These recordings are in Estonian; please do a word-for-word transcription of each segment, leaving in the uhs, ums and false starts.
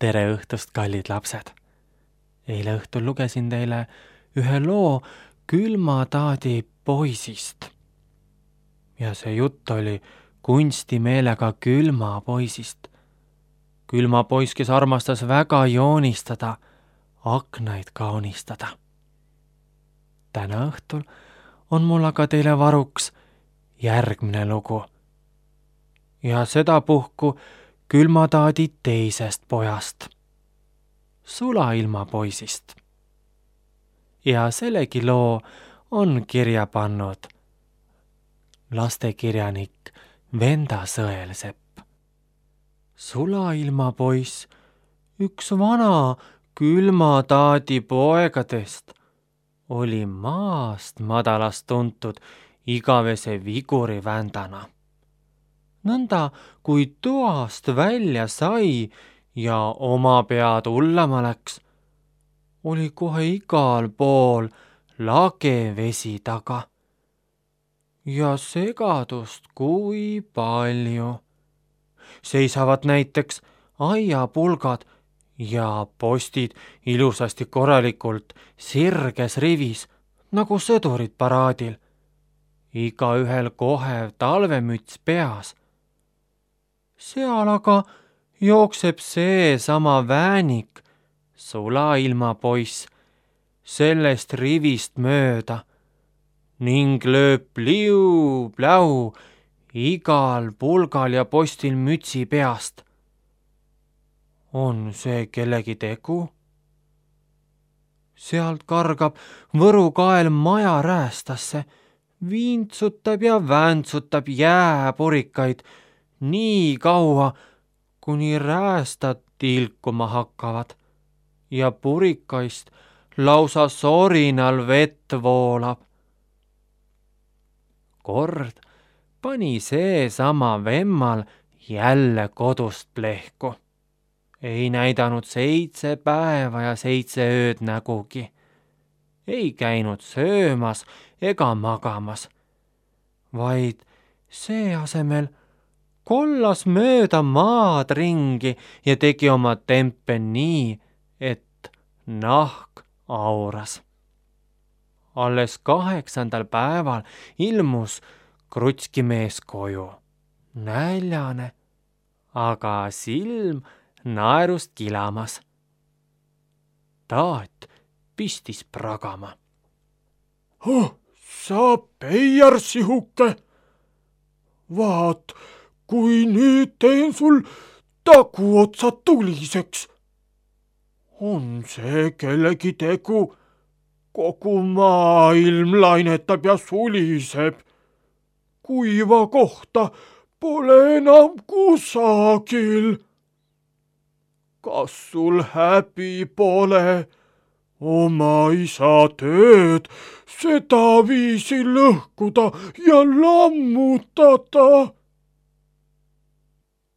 Tere õhtust, kallid lapsed! Eile õhtul lugesin teile ühe loo külmataadi poisist. Ja see jutt oli kunstimeelega külma poisist. Külma poiss, kes armastas väga joonistada, aknaid kaunistada. Täna õhtul on mul aga teile varuks järgmine lugu. Ja sedapuhku külmataadi teisest pojast, Sulailma poisist. Ja sellegi loo on kirja pannud lastekirjanik Venda Sõelsepp. Sulailma poiss, üks vana külmataadi poegadest, oli maast madalast tuntud igavese viguri vändana. Nõnda, kui toast välja sai ja oma pead ullama läks, oli kohe igal pool lage vesi taga. Ja segadust kui palju. Seisavad näiteks aiapulgad ja postid ilusasti korralikult sirges rivis, nagu sõdurid paraadil. Igaühel kohev talvemüts peas. Seal aga jookseb see sama väänik, Sulailma poiss, sellest rivist mööda ning lööb pliu-pläu igal pulgal ja postil mütsi peast. On see kellegi tegu? Sealt kargab Võru kael maja räästasse, viintsutab ja väntsutab jääpurikaid nii kaua, kuni räästad tilkuma hakkavad ja purikaist lausa sorinal vett voolab. Kord pani seesama vemmal jälle kodust plehku. Ei näidanud seitse päeva ja seitse ööd nägugi. Ei käinud söömas ega magamas, vaid see asemel kollas mööda maad ringi ja tegi oma tempe nii, et nahk auras. Alles kaheksandal päeval ilmus krutskimees koju, näljane, aga silm naerust kilamas. Taat pistis pragama. Oh, sa peiar sihuke! Vaat, kui nüüd teen sul taguotsad tuliseks. On see kellegi tegu? Kogu maailm lainetab ja suliseb. Kuiva kohta pole enam kusagil. Kas sul häbi pole oma isa tööd sedaviisi lõhkuda ja lammutada?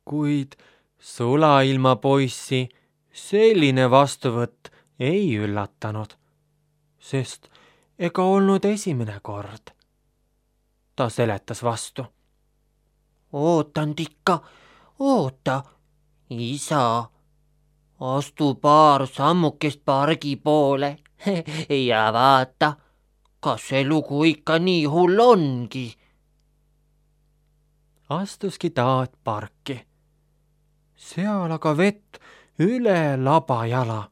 Kuid Sulailma poissi selline vastuvõtt ei üllatanud, sest ega olnud esimene kord. Ta seletas vastu. Ootan tikka, oota, isa, astu paar sammukest pargi poole ja vaata, kas see lugu ikka nii hull ongi. Astuski Taat parki. Seal aga vett üle laba jala.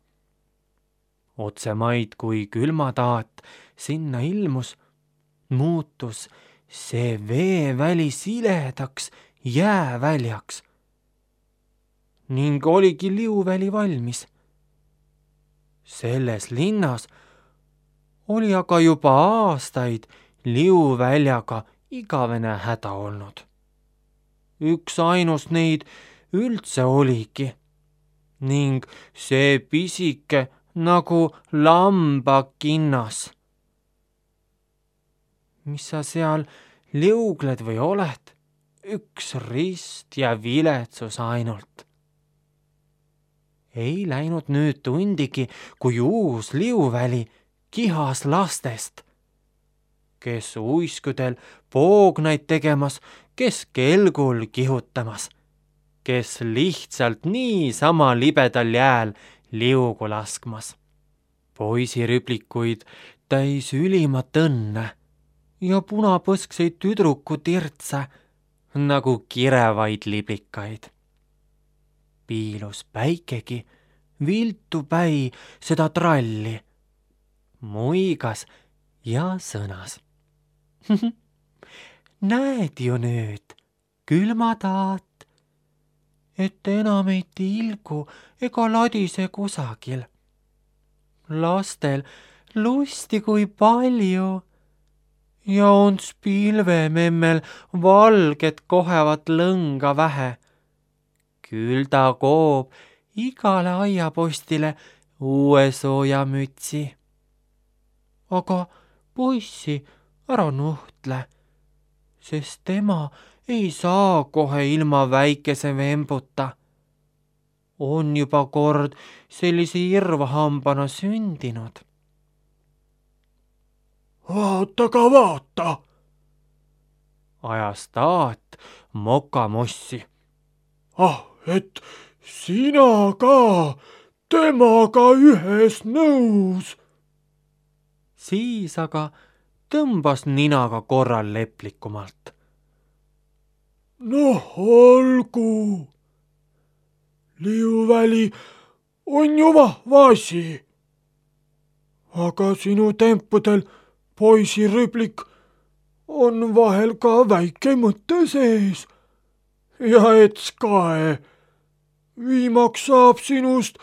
Otsemaid, kui külmataat sinna ilmus, muutus see veeväli siledaks jääväljaks ning oligi liuväli valmis. Selles linnas oli aga juba aastaid liuväljaga igavene häda olnud. Üks ainus neid üldse oligi ning see pisike nagu lambakinnas. Mis sa seal liugled või oled? Üks rist ja viletsus ainult. Ei läinud nüüd tundigi, kui uus liuväli kihas lastest, kes uiskudel poognaid tegemas, kes kelgul kihutamas kes lihtsalt niisama libedal jääl liugu laskmas. Poisirüblikuid täis ülimat õnne ja punapõskseid tüdruku tirtse nagu kirevaid liblikaid. Piilus päikegi viltu päi seda tralli, muigas ja sõnas. Näed ju nüüd, külma taat, et enam ei tilgu ega ladise kusagil. Lastel lusti kui palju ja ons pilvememmel valget kohevat lõnga vähe. Küll ta koob igale aiapostile uue soojamütsi. Aga poissi ära nuhtle, sest tema ei saa kohe ilma väikese vembuta. On juba kord sellise irvahambana sündinud. Vaata ka vaata, ajas taat mokamossi. ah, et sina ka temaga ühes nõus. Siis aga tõmbas ninaga korral leplikumalt. Noh, olgu. Liuväli on ju vahva asi. Aga sinu tempudel, poisirüblik, on vahel ka väike mõte sees. Ja ets kae, viimaks saab sinust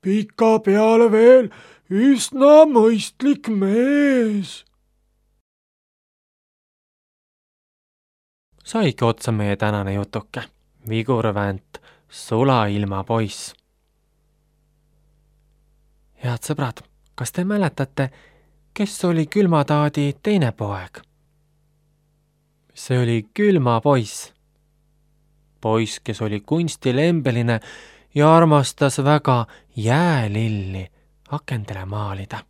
pika peale veel üsna mõistlik mees. Saigi otsa meie tänane jutuke, Vigurvänt, Sulailma poiss. Head sõbrad, kas te mäletate, kes oli külmataadi teine poeg? See oli külma poiss. Poiss, kes oli kunstilembeline ja armastas väga jäälilli akendele maalida.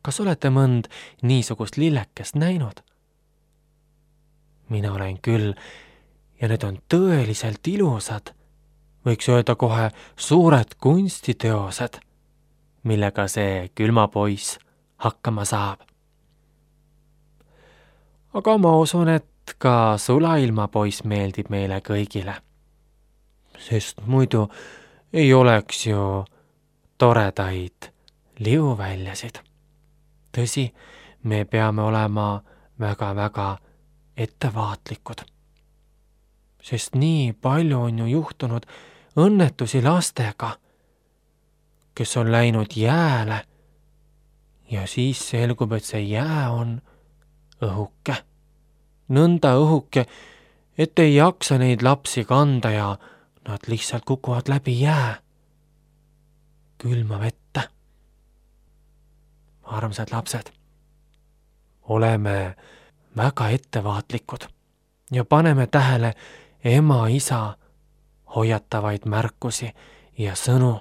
Kas olete mõnd niisugust lillekest näinud? Mina olen küll ja need on tõeliselt ilusad, võiks öelda kohe suured kunstiteosed, millega see külmapoiss hakkama saab. Aga ma usun, et ka Sulailma poiss meeldib meile kõigile, sest muidu ei oleks ju toredaid liuväljasid. Tõsi, me peame olema väga-väga ettevaatlikud, sest nii palju on ju juhtunud õnnetusi lastega, kes on läinud jääle ja siis selgub, et see jää on õhuke. Nõnda õhuke, et ei jaksa neid lapsi kanda ja nad lihtsalt kukuvad läbi jää külma vette. Armsad lapsed, oleme väga ettevaatlikud ja paneme tähele ema-isa hoiatavaid märkusi ja sõnu.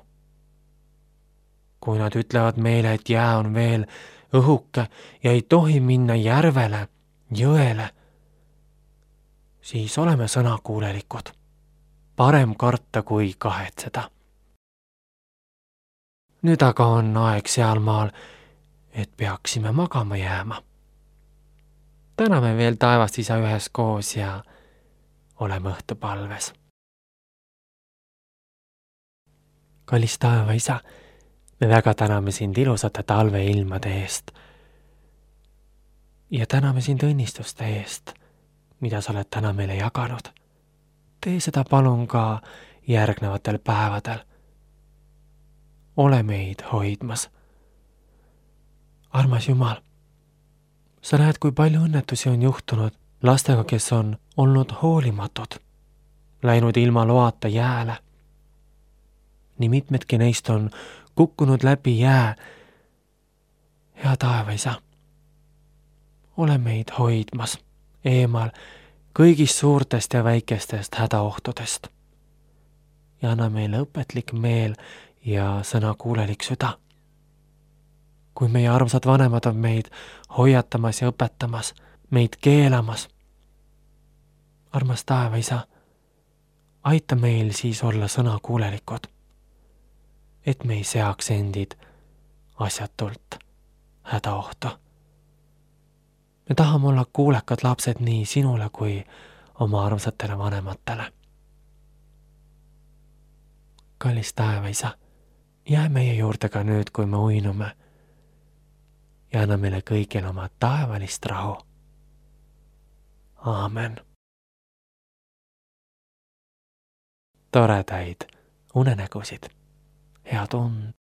Kui nad ütlevad meile, et jää on veel õhuke ja ei tohi minna järvele, jõele, siis oleme sõnakuulelikud. Parem karta kui kahetseda. Nüüd aga on aeg sealmaal, et peaksime magama jääma. Täname veel taevast isa üheskoos ja oleme õhtupalves. Kallis taeva isa, me väga täname sind ilusate talveilmade eest ja täname sind õnnistuste eest, mida sa oled täna meile jaganud. Tee seda palun ka järgnevatel päevadel. Ole meid hoidmas. Armas Jumal, sa näed, kui palju õnnetusi on juhtunud lastega, kes on olnud hoolimatud, läinud ilma loata jääle. Nii mitmedki neist on kukkunud läbi jää. Hea taevaisa, ole meid hoidmas eemal kõigist suurtest ja väikestest hädaohtudest ja anna meile õpetlik meel ja sõnakuulelik süda. Kui meie armsad vanemad on meid hoiatamas ja õpetamas, meid keelamas. Armas taevaisa, aita meil siis olla sõnakuulelikud, et me ei seaks endid asjatult hädaohtu. Me tahame olla kuulekad lapsed nii sinule kui oma armsatele vanematele. Kallis taevaisa, jää meie juurde ka nüüd, kui me uinume ja anna meile kõigil oma taevalist rahu. Aamen. Toredaid unenägusid. Head und.